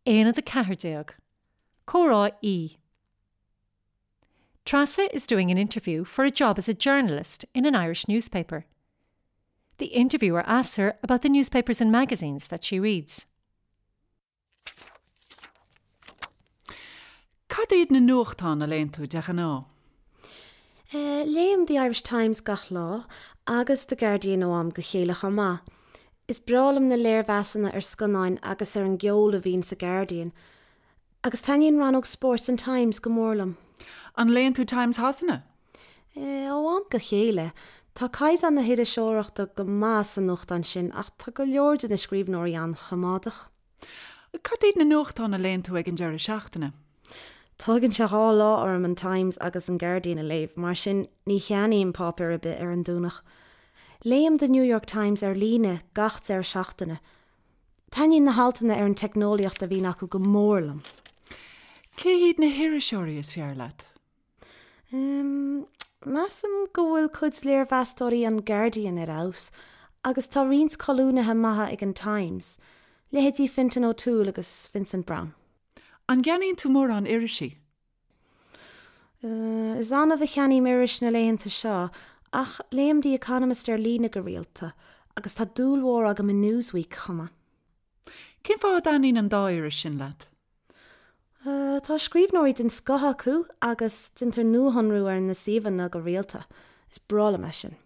Aonad 14. Comhrá E. Treasa is doing an interview for a job as a journalist in an Irish newspaper. The interviewer asks her about the newspapers and magazines that she reads. Cad iad na nuachtáin a léann tú de ghnáth? Léim The Irish Times gach lá, agus The Guardian ó am go chéile chomh maith. Is breá liom na léirmheasanna ar scannáin agus ar an gceol a bhíonn sa Guardian. Agus taitníonn rannóg spóirt an Times go mór liom. An léann tú Times Shasana? Ó am go chéile. Tá caighdeán na hiriseoireachta go maith sa nuachtán sin ach tá go leor de na scríbhneoirí an-choimeádach. Cad iad na nuachtáin a léann tú ag an deireadh seachtaine? Tógann sé 2 lá orm an Times agus an Guardian a léamh, mar sin ní cheannaím páipéar ar bith ar an Domhnach. Léim The New York Times ar líne gach deireadh seachtaine. Taitníonn na haltanna ar an teicneolaíocht a bhíonn acu go mór liom. Cé hiad na hiriseoirí is fearr leat? Measaim go bhfuil cuid léirmheastóirí an Guardian ar fheabhas agus tá roinnt colúnaithe maithe ag an Times, leithéidí Fintan O'Toole agus Vincent Browne. An gceannaíonn tú mórán irisí? Is annamh a cheannaím iris na laethanta seo ach léim The Economist ar líne go rialta agus tá dúil mhór agam i Newsweek chomh maith. Cén fáth a dtaitníonn an dá iris sin leat? Tá scríbhneoirí den scoth acu agus déantar nuashonrú ar na suíomhanna go rialta. Is breá liom é sin.